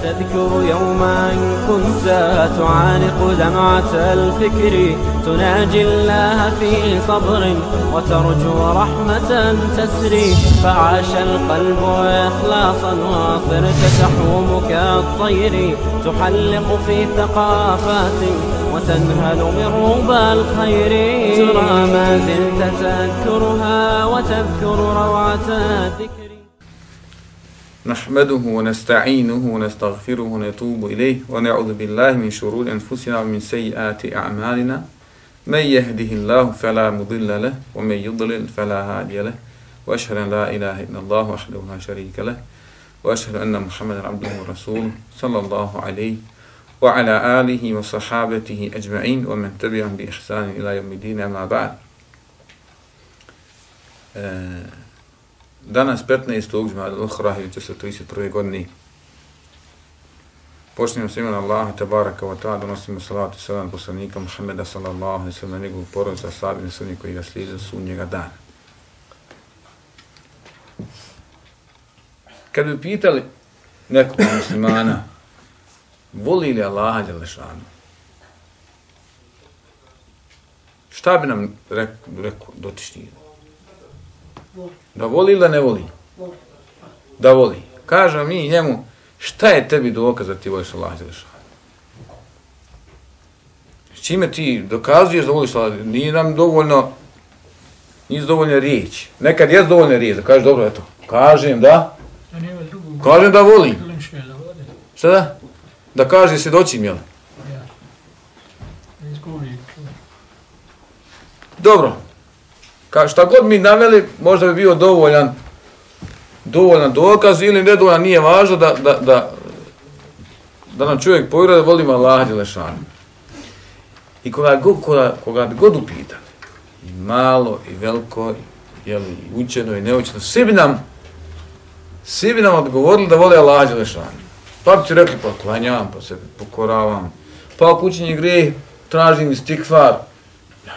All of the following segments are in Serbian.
تذكر يوما كنت تعانق دمعة الفكر تناجي الله في صبر وترجو رحمة تسري فعاش القلب إخلاصا وصرت تحوم كالطير تحلق في ثقافات وتنهل من ربى الخير ترى ما زلت تذكرها وتذكر روعة الذكر. نحمده ونستعينه ونستغفره ونتوب إليه ونعوذ بالله من شرور أنفسنا ومن سيئات أعمالنا من يهده الله فلا مضل له ومن يضلل فلا هادي له وأشهد أن لا إله إلا الله وحده لا شريك له وأشهد أن محمدا عبده ورسوله صلى الله عليه وعلى آله وصحابته أجمعين ومن تبعهم بإحسان إلى يوم الدين أما بعد. Danas 15. Džumada Ukhra 1431. godine. Počnemo s imenom Allaha tebaraka wa ta'ala, donosimo salatu i salam poslanika Muhammeda sallallahu alejhi ve sellem na njegovu porodicu, ashabe i sve oni koji ga slijede do sudnjega dana. Kad bi pitali nekog muslimana voli li Allaha dželešanu, šta bi nam rekao dotični? Da voli ili da ne voli? Da voli. Kažemo mi njemu, šta je tebi dokaz da ti voliš Allaha dželešanu? S čime ti dokazuješ da voliš Allaha? Nije nam dovoljno, nisu dovoljne riječi. Nekad je dovoljne riječi, da kažeš dobro, eto, kažem da volim. Šta da? Da kaže svjedočim, jel? Dobro. Šta god mi naveli, možda bi bio dovoljan dokaz ili nedovoljan, nije važno da nam čovjek povjeruje da volimo Allaha dželešanu. I koga bi god upitali, i malo, i veliko, i učeno, i neučeno, svi bi nam odgovorili da vole Allaha dželešanu. Pa bi ti rekli, pa klanjam, pa se pokoravam, pa ako učinje grijeh, tražim istikfar,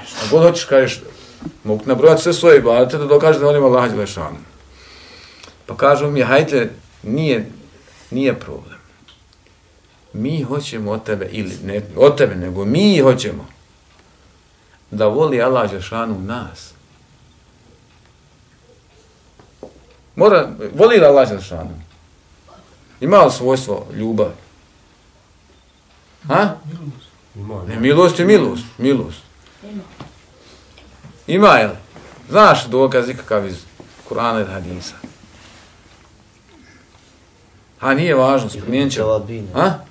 šta god hoćeš, kažeš, mogu nabrojati sve svoje ibadete da dokaže da volimo Allaha dželešanu. Pa kažu mi, hajde, nije problem. Mi hoćemo od tebe, ili ne od tebe, nego mi hoćemo da voli Allah dželešanu nas. Voli li Allah dželešanu? Ima li svojstvo ljubav? Ha? Ne, milost je milost. Milost. Ima, jel? Znaš dokaz ikakav iz Kur'ana i hadisa? A nije važno, spomenut ćemo.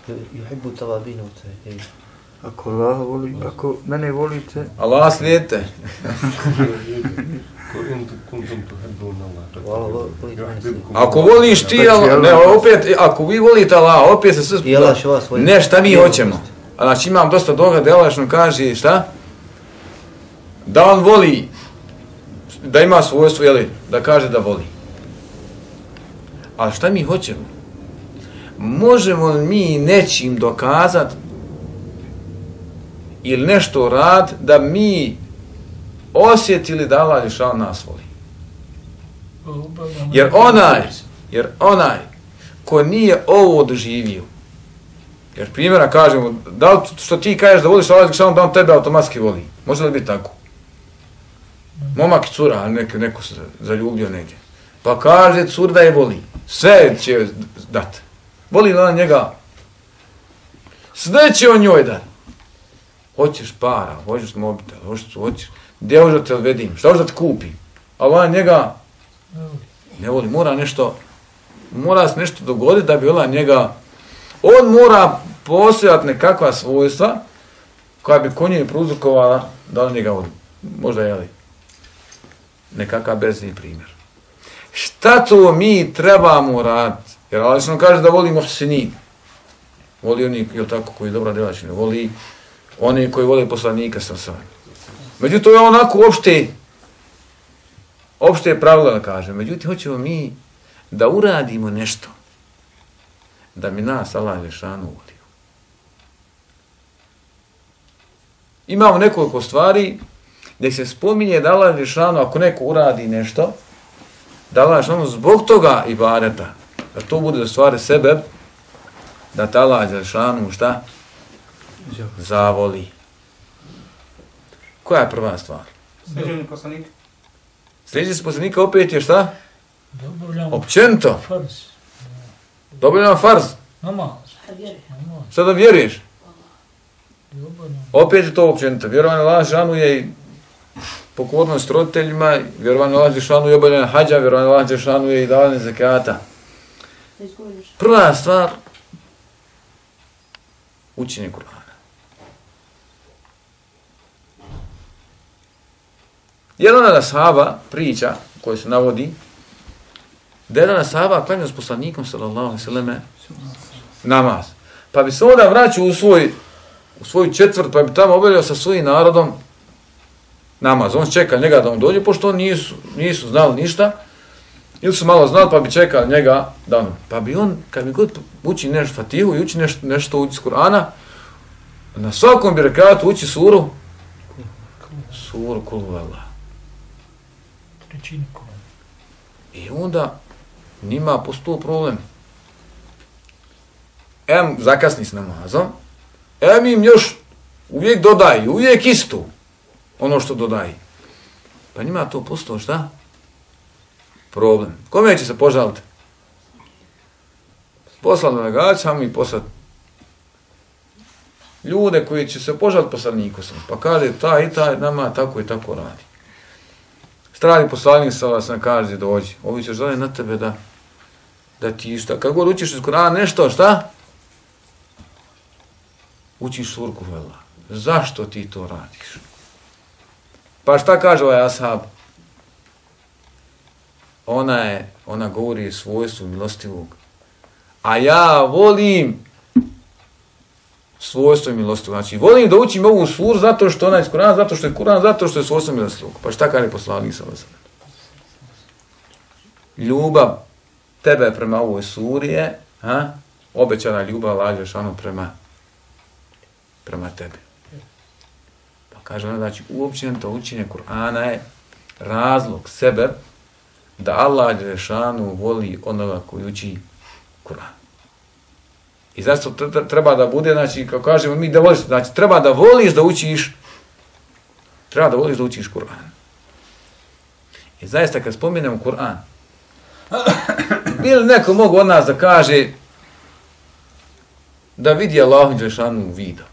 Yuhibbu tawabina u tajhid. Ako Allah voli, ako mene volite... Allah slijedite. Ako voliš ti, ne, opet, ako vi volite Allah, opet se sve... Ne, šta mi hoćemo? Znači imam dosta doga da Allah nam kaže, šta? Da on voli, da ima svojstvo, jeli, da kaže da voli. A šta mi hoćemo? Možemo mi nečim dokazati ili nešto rad da mi osjetili da Allah dželešanu nas voli. Jer onaj ko nije ovo doživio, jer primjera kažemo, da li što ti kažeš da voliš Allah dželešanu, da on tebe automatski voli? Može li biti tako? Momak i cura, neko se zaljubio negdje. Pa kaže cura da je voli. Sve će dati. Voli li ona njega? Sve će on njoj dati. Hoćeš para, hoćeš mobitel, hoćeš. Gdje hoćeš da te odvedim? Šta hoćeš da te kupim? Ali ona njega ne voli. Mora se nešto dogoditi da bi ona njega... On mora postojati nekakva svojstva koja bi konje prouzrokovala da on njega voli. Možda je li nekakav bezni primjer. Šta to mi trebamo raditi? Jer Allah nam kaže da voli muhsinin. Voli oni koji dobra djela čine. Voli oni koji vole poslanika sa svojim. Međutim, to je onako opšte pravila da kažem. Međutim, hoćemo mi da uradimo nešto da mi nas Allah dželešanu voli. Imamo nekoliko stvari gdje se spominje da Allah dželešanu, ako neko uradi nešto, da Allah dželešanu zbog toga ibadeta, da to bude da stvari sebe, da te Allah Đelešanu šta? Zavoli. Koja je prva stvar? Slijeđenje poslanika. Slijeđenje poslanika opet je šta? Općenito. Dobavljamo farz. Šta da vjeruješ? Opet je to općenito. Vjerovanje Allah Đelešanu je i pokornost roditeljima, vjerovanje Allah Đelešanu je obavljanje hađa, vjerovanje Allah Đelešanu je i davanje zekata. Prva stvar, učenje Kur'ana. Jedan od ashaba priča, koji se navodi, da jedan ashaba klanjao s poslanikom, sallallahu alejhi ve selleme, namaz. Pa bi se onda vraćao u svoju četvrt, pa bi tamo obavljao sa svojim narodom namaz. On čeka njega da on dođe, pošto on nisu znali ništa, ili su malo znali, pa bi čekali njega da on. Pa bi on, kad bi god uči nešto Fatihu i uči nešto uči iz Kur'ana, na svakom bi rekatu uči suru Kul huvallah. I onda njima postoji problem. Zakasni s namazom, im još uvijek dodaju, uvijek isto ono što dodaju. Pa njima to postoji šta? Problem. Kome će se požaliti? Poslati delegacijama i poslati ljude koji će se požaliti poslaniku. Pa kaže, taj i taj nama tako i tako radi. Strani poslanik sam kaže, dođi. Ovi će žele na tebe da ti šta. Kad god učiš iz Kur'ana nešto, šta? Učiš suru Kul huvallah. Zašto ti to radiš? Pa šta kaže ovaj ashab? Ona govori svojstvu milostivog. A ja volim svojstvo milostivog. Znači, volim da učim ovu suru zato što ona je iz Kur'ana, zato što je Kur'an, zato što je svojstvo milostivog. Pa šta kaže poslanik sallallahu alejhi ve sellem? Ljubav tebe prema ovoj suri je, obećana ljubav Allaha dželešanu prema tebi. Pa kaže ona, znači, uopćenito učenje Kur'ana je razlog sebe da Allah dželešanu voli onoga koji uči Kur'an. I zato treba da bude, znači, kako kažemo mi da voliš, znači, treba da voliš da učiš Kur'an. I zaista kad spominemo Kur'an, bilo neko mogu od nas da kaže da vidi Allahu dželešanu vida.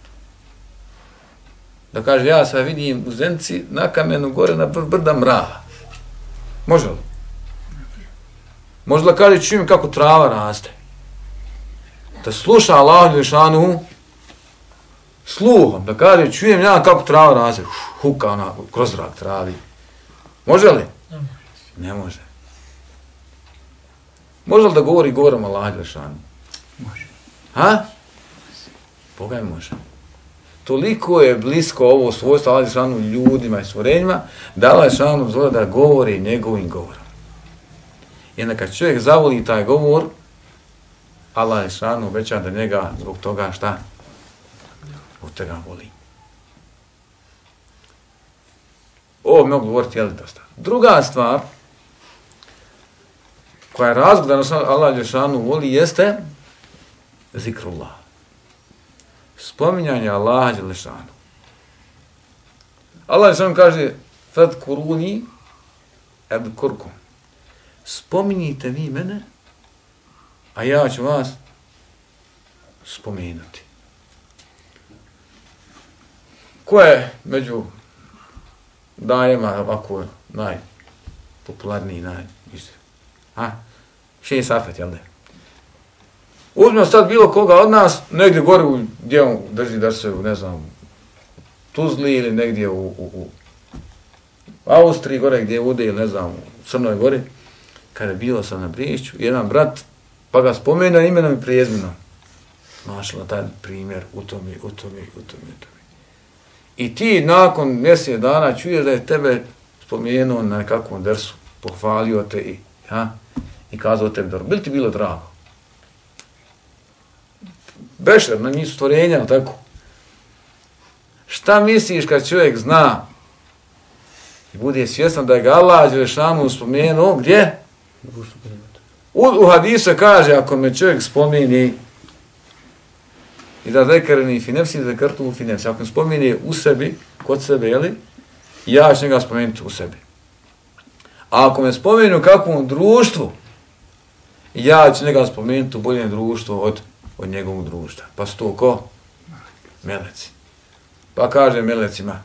Da kaže, ja sad vidim u Zenci na kamenu gore na brda mrava. Može li? Može da kaže, čujem kako trava raste. Da sluša Allahu dželešanu sluhom, da kaže, čujem ja kako trava raste. Huka ona kroz zrak travi. Može li? Ne može. Može li da govori govorom Allahu dželešanu? Može. Boga je može. Toliko je blisko ovo svojstvo Allahu dželešanu ljudima i stvorenjima, da Allahu dželešanu dozvoljava da govori njegovim govorom. I onda kad čovjek zavoli taj govor, Allah dželešanu obeća da njega zbog toga šta? Zbog toga voli. Ovo mogu govoriti, jel dosta. Druga stvar, koja je razlog da nas Allah dželešanu voli, jeste zikrullah. Spominjanje Allaha dželešanu. Allah dželešanu kaže fadkuruni adkurkum. Spominjite vi mene, a ja ću vas spomenuti. Ko je među dajema ovako najpopularniji, Šejh Safet, jel ne? Uzmemo sad bilo koga od nas, negdje gore gdje on drži da se, ne znam, Tuzli ili negdje u Austriji, gore gdje ude ili ne znam, u Crnoj Gori, kada je bilo sam na Briješću, jedan brat, pa ga spomenuo imenom i prijezmenom. Mašala taj primjer u tome. I ti nakon mjesec dana čuješ da je tebe spomenuo na nekakvom dersu, pohvalio te i kazao tebi dobro. Bili ti bilo drago? Bešer, na njih stvorenja, tako? Šta misliš kad čovjek zna i bude svjestan da je ga Allah dželešanu spomenuo, gdje? U hadisu kaže, ako me čovjek spomeni I da zekarni fi nefsi, zekartu fi nefsi. Ako spomene u sebi, kod sebe, jeli, ja ću njega spomenuti u sebi. A ako me spomenu u kakvom društvu, ja ću njega spomenuti u boljem društvu od njegovog društva. Pa su to ko? Meleci. Pa kaže melecima,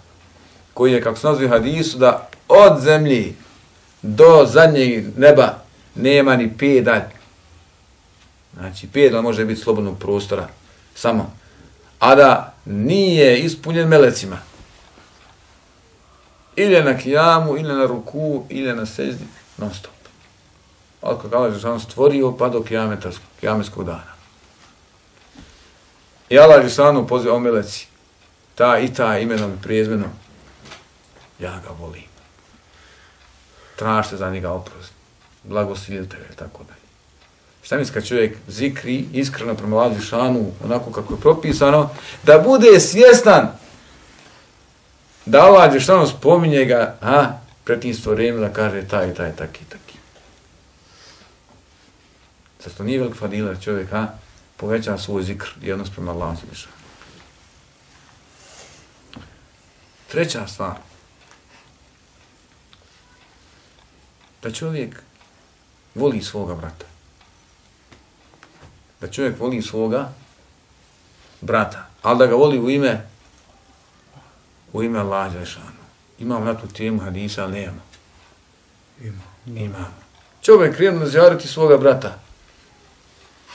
koji je, kako se nazvi u hadisu, da od zemlji do zadnjeg neba nema ni pedalj. Znači, pedalj može biti slobodnog prostora, samo. A da nije ispunjen melecima. Ili na kijamu, ili na ruku, ili na seždi, non stop. Ali kako Allah Žešanu stvorio, pa do kijametskog dana. I Allah Žešanu poziva o meleci, ta i ta imenom i prijezmenom, ja ga volim. Tražite za njega oprost, blagosilite ga i tako dalje. Šta misli kad čovjek zikri iskreno prema Allah Žešanu, onako kako je propisano, da bude svjestan da Allah Žešanu spominje ga, pred tim stvorenjem da kaže taj i taj, taki i taki. Zato nije velik fadiler čovjek, poveća svoj zikr i odnos prema Allahu Žešanu. Treća stvar, da čovjek voli svoga brata. Da čovjek voli svoga brata, ali da ga voli u ime Allaha Žešanu. Imamo na tu temu hadisa, ali nemamo. Imamo. Čovjek krenu zijarati svoga brata.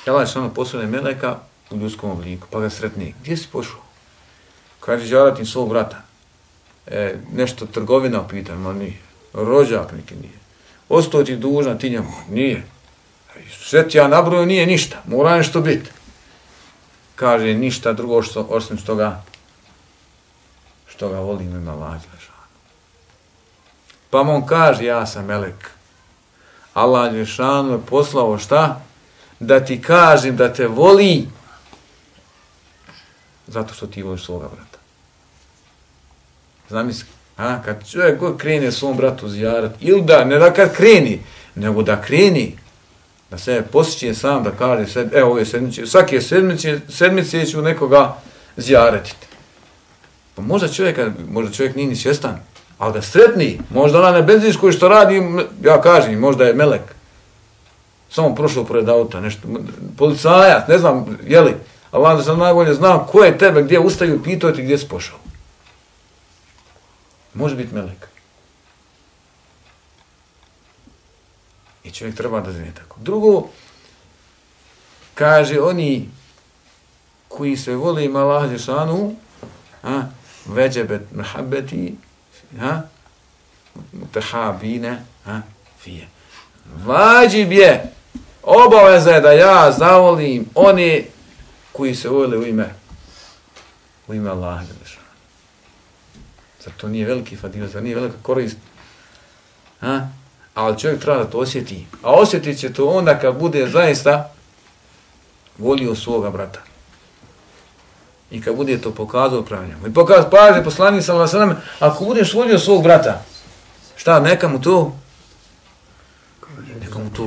Allah Žešanu poslane meleka u ljudskom obliku, pa ga sretne. Gdje si pošao? Kaže zijarati svog brata. Nešto trgovina upita, ma nije. Rođak neki nije. Ostao ti dužna, ti njemu, nije. Sve ti ja nabroju, nije ništa, mora nešto biti. Kaže, ništa drugo osim što ga volim ima Allaha Žešanu. Pa on kaže, ja sam melek. Allah Žešanu je poslao šta? Da ti kažem da te voli zato što ti voliš svoga brata. Zamisli, kad čovjek god krene svom bratu zijarat, ili da, ne da kad kreni, nego da kreni, da se posjeće sam, da kaže, ove sedmice, svake sedmice ću nekoga zijaretiti. Pa možda čovjek nije ni svjestan, ali da sretni, možda ona na benzinskoj što radi, ja kažem, možda je melek, samo prošao pored auta, nešto, policajac, ne znam, jeli, Allah da sam najbolje znam ko je tebe, gdje ustaju, pitao ti gdje si pošao. Može biti melek. I čovjek treba da zna tako. Drugo, kaže oni koji se vole ima Allaha Žešanu, veđebet mehabeti, mutahabine, fije. Vađib je, obaveza je da ja zavolim one koji se vole u ime Allaha Žešanu. Zato nije veliki fadil, zato nije velika korist. Ali čovjek treba da to osjeti. A osjetit će to onda kad bude zaista volio svoga brata. I kad bude to pokazao prema njemu. I paže poslanik sallallahu alejhi ve sellem, ako budeš volio svog brata, šta, neka mu to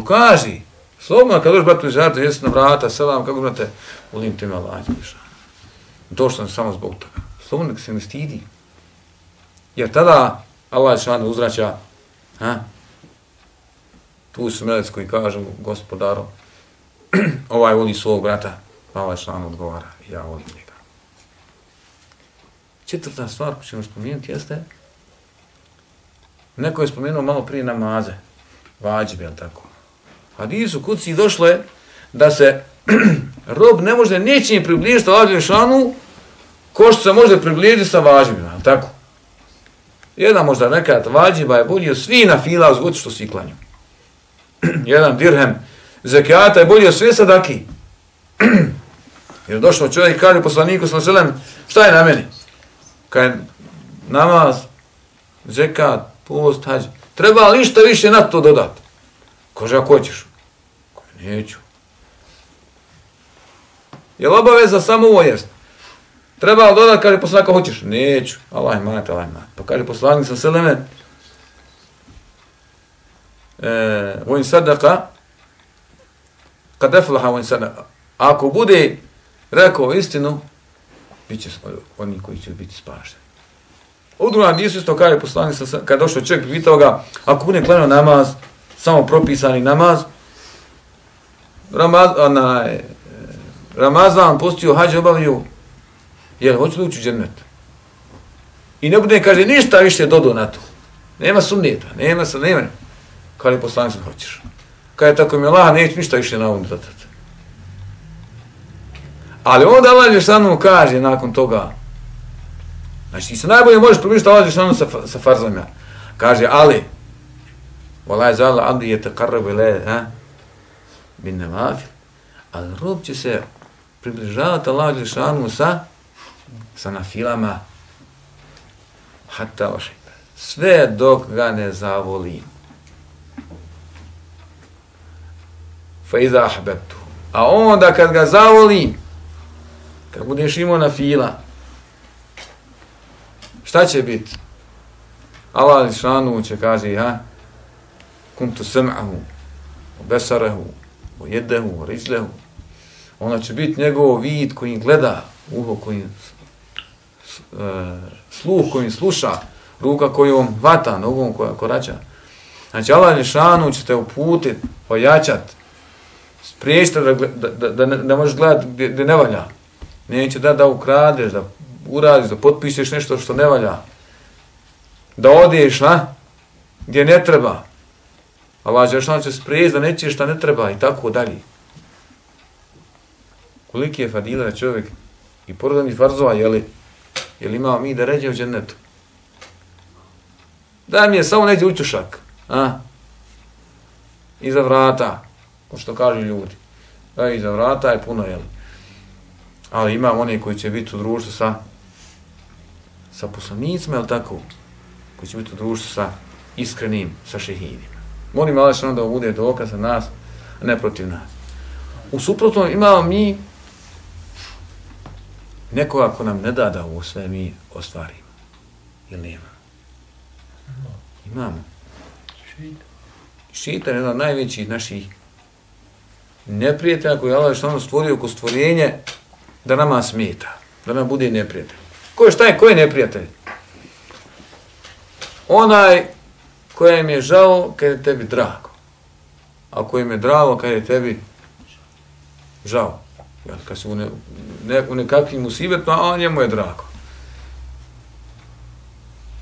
kaži. Slobodno kad dođeš bratu izjaviti, jesi na vrata, selam, kako brate, volim te me Allaha Žešanu. Došao sam samo zbog toga. Slobodno nek se ne stidi. Jer tada Allah Žešanu uzvraća, tu su meleci koji kažu gospodaru, ovaj voli svog brata, pa Allah Žešanu odgovara, ja volim njega. Četvrta stvar koju ćemo spomenuti jeste, neko je spomenuo malo prije namaze, vađibe, jel tako? Hadisu kuci došlo je da se rob ne može ničim približiti Allahu Žešanu ko što se može približiti sa vađibima, jel tako? Jedan možda rekat vađiba je bolji od svi na fila zgod što svi klanju. Jedan dirhem zekijata je bolji od sve sadaki. Jer došao čovjek i kaže poslaniku sallallahu alejhi ve sellem, šta je na meni? Kaže namaz, zekat, post, hadž. Treba li šta više na to dodati? Kaže, ako hoćeš? Kaže, neću. Je li obaveza samo ovo jest? Treba li dodati, kaže poslanik, ako hoćeš? Neću. Allah imat. Pa kaže poslanik sallallahu alejhi ve sellem, vojn sadaka, kad eflaha vojn sadaka. Ako bude rekao istinu, bit će oni koji će biti spašeni. U drugom hadisu isto kaže poslanik, kad došao čovjek, pitao ga, ako bude klanjao namaz, samo propisani namaz, Ramazan postio, hađ obavio, jel, hoću li ući u džennet? I ne bude, kaže, ništa više dodao na to. Nema sumnjeta, nema. Kaže poslanik, hoćeš. Kaže, tako mi Allah, neću ništa više na ovom dodati. Ali onda Allah Đelešanu kaže nakon toga, znači, ti se najbolje možeš približiti Allah Đelešanu sa farzama. Kaže, ali, Walaj zala abdi je taqarrabu ilaj, bin nevafil, ali rob će se približavati Allah Đelešanu sa nafilama, hatta ošajba. Sve dok ga ne zavolim. Fa iza ahbebtu. A onda kad ga zavolim, kad budeš imao nafila, šta će biti? Allah Đelešanu će kaže, kuntu sam'ahu, besarahu, jedahu, rijlehu. Ona će biti njegov vid koji gleda, uho koji sluh koji sluša, ruka kojom vata, nogom koja korača. Znači Allah Đelešanu će te uputiti, ojačati, spriječiti da ne možeš gledati gdje ne valja. Neće da ukradeš, da uradiš, da potpišeš nešto što ne valja. Da odeš, gdje ne treba. Allah Đelešanu će spriječiti da nećeš šta ne treba i tako dalje. Koliki je fadila da čovjek i porodani farzova, jel imao mi da ređe u džennetu? Daj mi je samo neđe učušak, iza vrata, ko što kažu ljudi. Da, iza vrata je puno, jel? Ali imam one koji će biti u društvu sa poslanicima, jel tako? Koji će biti u društvu sa iskrenim, sa šehidima. Molim Allah što da bude dokaz za nas, a ne protiv nas. U suprotnom imamo mi nekoga ko nam ne da ovo sve mi ostvarimo. Ili nema? Imamo. Šeitan je jedan od najvećih naših neprijatelja koji je Allah što stvorio oko stvorenje da nama smeta, da nam bude neprijatelj. Ko je neprijatelj? Onaj kojem je žao kad je tebi drago. A kojem je drago kad je tebi žao. Kad su u nekakvim musibetima, a njemu je drago.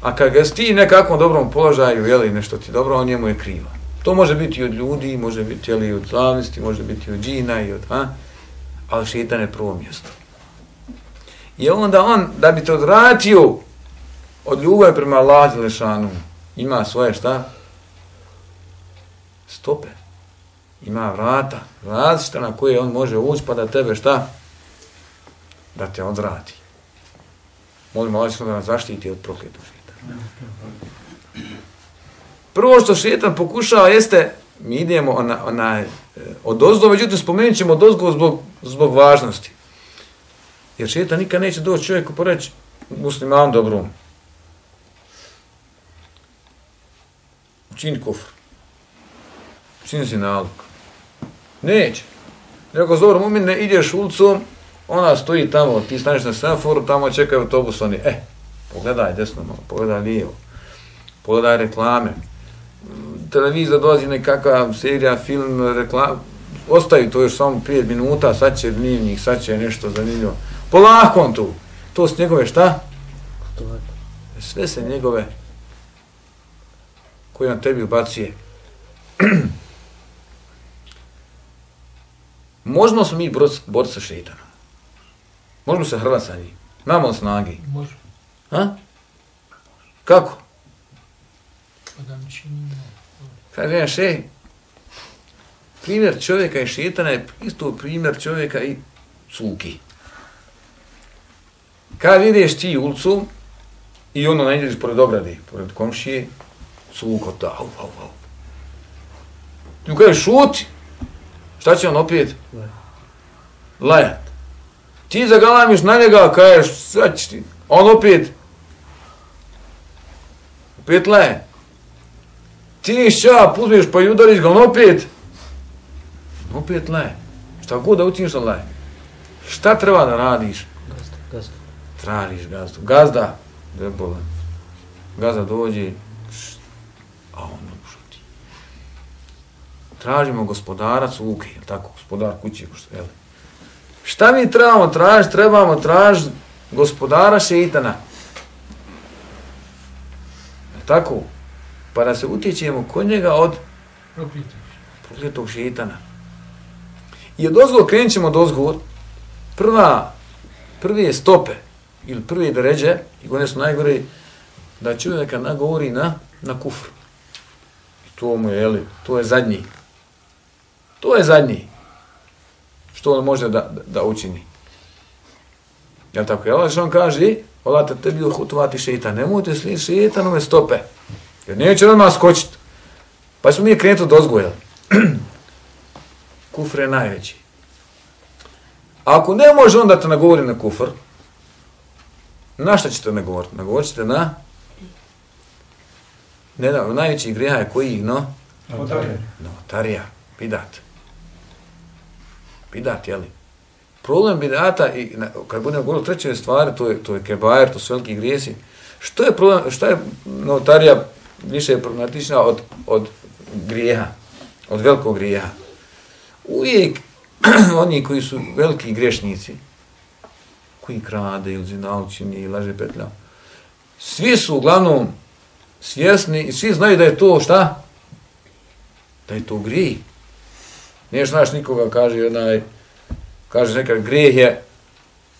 A kad ga ti nekakvom dobrom položaju, jeli, nešto ti dobro, on njemu je krivo. To može biti i od ljudi, može biti i od slavnosti, može biti i od džina, ali šeitan je prvo mjesto. I onda on, da bi te odvratio od ljubavi prema Allahu Đelešanu, ima svoje šta? Stope. Ima vrata, različita na koje on može ući pa da tebe šta? Da te odvrati. Molimo Allah da nas zaštiti od prokletog šeitana. Prvo što šeitan pokušava jeste, mi idemo odozdo, međutim spomenut ćemo odozgo zbog važnosti. Jer šeitan nikad neće doći čovjeku poreći musliman dobrom. Učini kufr. Učini si nalog. Neće. Nego zovor mumine, ideš ulicom, ona stoji tamo, ti staneš na semaforu, tamo čekaju autobus, oni, pogledaj desno malo, pogledaj lijevo, pogledaj reklame, televizor dolazi nekakva serija, film, reklama, ostaju to još samo 5 minuta, sad će dnevnik, sad će nešto zanimljivo. Polako on tu. To su njegove šta? Sve se njegove koje on tebi ubacuje. Možemo se mi boriti sa šeitanom. Možemo se hrvati sa njim. Imamo li snage? Možemo. Kako? Kaže jedan šej, primjer čovjeka i šeitana je isto primjer čovjeka i cuki. Kad ideš ti ulicu i ono najdeš pored ograde, pored komšije, cuko ta, au. Ti mu kažeš šuti, šta će on opet? Lajat. Ti zagalamiš na njega, kažeš, sad će ti, on opet laje. Ti šćap, uzmeš pa i udariš ga, on opet laje. Šta god da učiniš, on laje. Šta treba da radiš? Gazda. Tražiš gazdu. Gazda, debolan. Gazda dođe, a on šuti. Tražimo gospodara cuke, jel tako, gospodar kuće, jel? Šta mi trebamo tražiti? Trebamo tražiti gospodara šeitana. Jel tako? Pa da se utječemo kod njega od prokletog šeitana. I od ozgo krenut ćemo od ozgo, prve stope ili prve deređe, i one su najgore, da čovjeka nagovori na kufr. I to mu je, jeli, to je zadnji. To je zadnji. Što on može da učini. Jel tako? Jel što on kaže, volate tebi uhutovati šeitan, nemojte slijediti šeitanove stope. Jer neće odmah skočiti. Pa smo mi krenuti od ozgo, jel? Kufr je najveći. Ako ne može on da te nagovori na kufr, na šta ćete nagovoriti? Nagovorit ćete na najveći grijeha je koji, no? Novotarija. Bidat. Bidat, jeli? Problem bidata, i kad budemo govorili o trećoj stvari, to je kebajer, to su veliki grijesi. Što je problem, šta je novotarija više problematična od grijeha, od velikog grijeha? Uvijek oni koji su veliki grešnici, koji krade ili zinalčini ili laže petlja, svi su uglavnom svjesni i svi znaju da je to šta? Da je to grijeh. Nije znaš nikoga, kaže nekad grijeh je,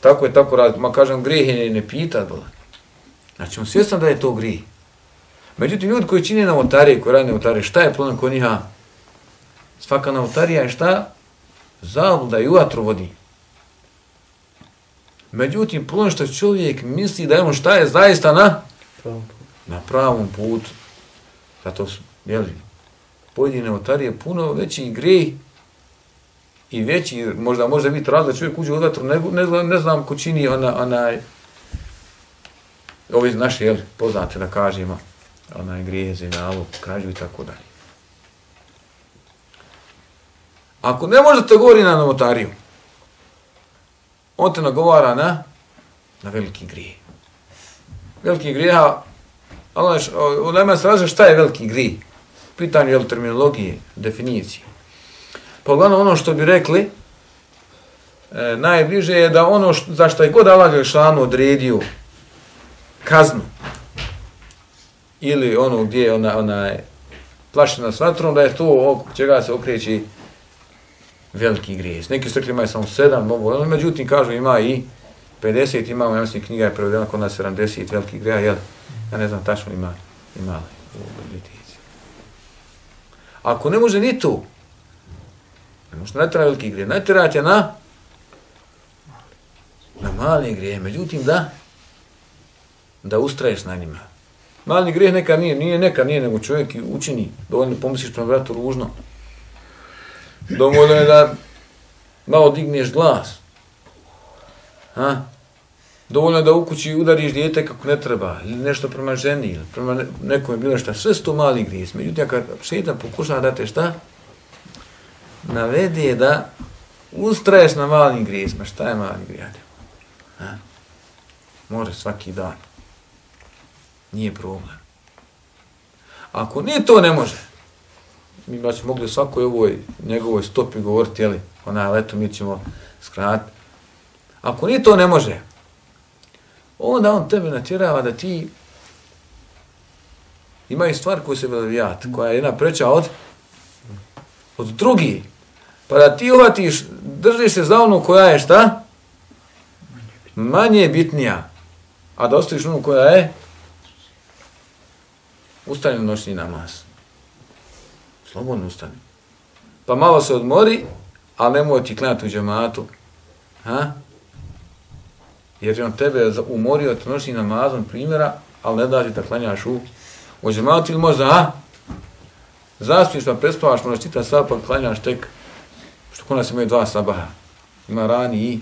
tako je tako raditi, ma kažem grijeh je ne pita, znači on svjestan da je to grijeh. Međutim, ljudi koji čine novotarije, koji rade novotarije, šta je problem kod njiha? Svaka novotarija je šta? Zabluda i u vatru vodi. Međutim, problem što čovjek misli da je on šta je zaista na pravom putu. Zato su, jeli, pojedine novotarije puno veći grijeh i veći, možda može biti razlog da čovjek uđe u vatru, ne znam ko čini ovi naši, jeli, poznate da kažemo, grijeh, zinalog, krađu i tako dalje. Ako ne može te govori na novotariju, on te nagovara na veliki grijeh. Veliki grijeha, u nama se različite šta je veliki grijeh. Pitanje je terminologije, definicije. Pa uglavnom ono što bi rekli, najbliže je da ono za što je god Allah Đelešanu odredio kaznu, ili ono gdje je ona je plašena s vatrom, da je to oko čega se okreći veliki grijeh. Neki su rekli imaju samo 7, međutim kažu ima i 50, imamo, ja mislim, knjiga je prevedena kod nas 70 velikih grijeha, jel? Ja ne znam tačno ima u bibliotici. Ako ne može ni to, ne može natjera veliki grijeh, natjerati je na mali grijeh, međutim da ustraješ na njima. Mali grijeh nekad nije, nego čovjek učini, dovoljno pomisliš prema bratu ružno. Dovoljno je da malo digneš glas. Dovoljno je da u kući udariš dijete kako ne treba, ili nešto prema ženi, ili prema nekome bilo šta. Sve su to mali grijeh. Međutim, kad šeitan pokušava da te šta? Navede da ustraješ na malim grijesima. Šta je mali grijeh? Može svaki dan. Nije problem. Ako nije to, ne može. Mi baš mogli svakoj ovoj njegovoj stopi govoriti, jeli, leto mi ćemo skratiti. Ako nije to, ne može. Onda on tebe natjerava da ti imaju stvar koju se veljavati, koja je jedna preča od drugih. Pa da ti uhvatiš, držiš se za onu koja je šta? Manje bitnija. A da ostaviš onu koja je ustani na noćni namaz. Slobodno ustani. Pa malo se odmori, ali nemoj ti klanjati u džematu. Jer je on tebe umorio od noćni namazom primjera, ali ne da ti da klanjaš u džematu ili možda, zaspiš pa prespavaš, možda čita sad pa klanjaš tek, što kod nas imaju 2 sabaha. Ima rani i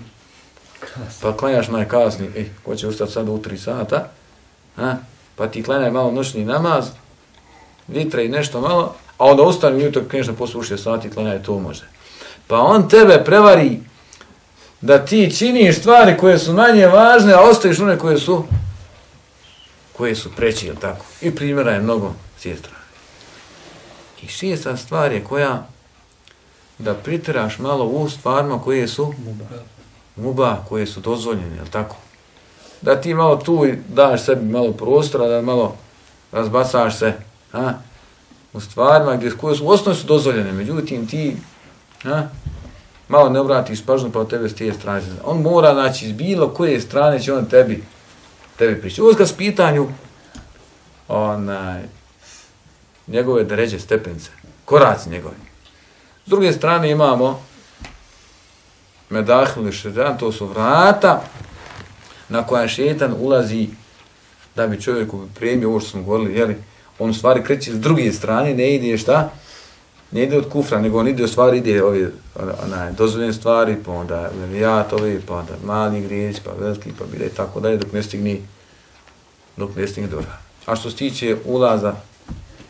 pa klanjaš najkasniji, ko će ustati sad u 3 sata, pa ti klanjaj malo noćni namaz, vitre i nešto malo, a onda ustani ujutro, kreneš na poslu u 6 sati, klanjaj, to može. Pa on tebe prevari da ti činiš stvari koje su manje važne, a ostaviš one koje su preći, jel tako? I primjera je mnogo s te strane. I šesta stvar je koja da pritiraš malo u stvarima koje su mubah, koje su dozvoljene, jel tako? Da ti malo tu daš sebi malo prostora, da malo razbacaš se u stvarima koje su u osnovi su dozvoljene, međutim ti malo ne obratiš pažnju pa od tebe s te strane. On mora, znači, iz bilo koje strane će on tebi pričati. Ovo kad s pitanju njegove deređe, stepence, koraci njegovi. S druge strane imamo medahil šetan, to su vrata na koja šetan ulazi da bi čovjeku pripremio ovo što smo govorili, jeli, on u stvari kreće s druge strane, ne ide šta? Ne ide od kufra, nego on ide u stvari, ide ove dozvoljene stvari, pa onda levijatovi, pa onda mali grijesi, pa veliki, pa bile i tako dalje, dok ne stigne dora. A što se tiče ulaza,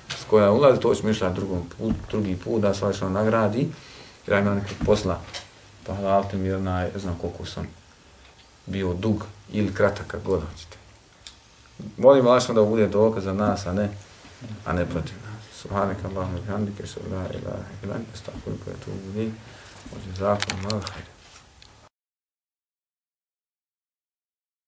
s koja ulazi, to ćemo išla drugi put, da se što nagradi, jer ja imam nekog posla, pa halalite mi, ne znam koliko sam bio dug ili kratak, kako god hoćete. Molim Allah da bude dokaz za nas, a ne protiv nas. Subhanaka Allahumma bihamdika, ashhadu an la ilaha illa anta, astaghfiruka wa atubu ilayk. Wa jazakumullahu khairan.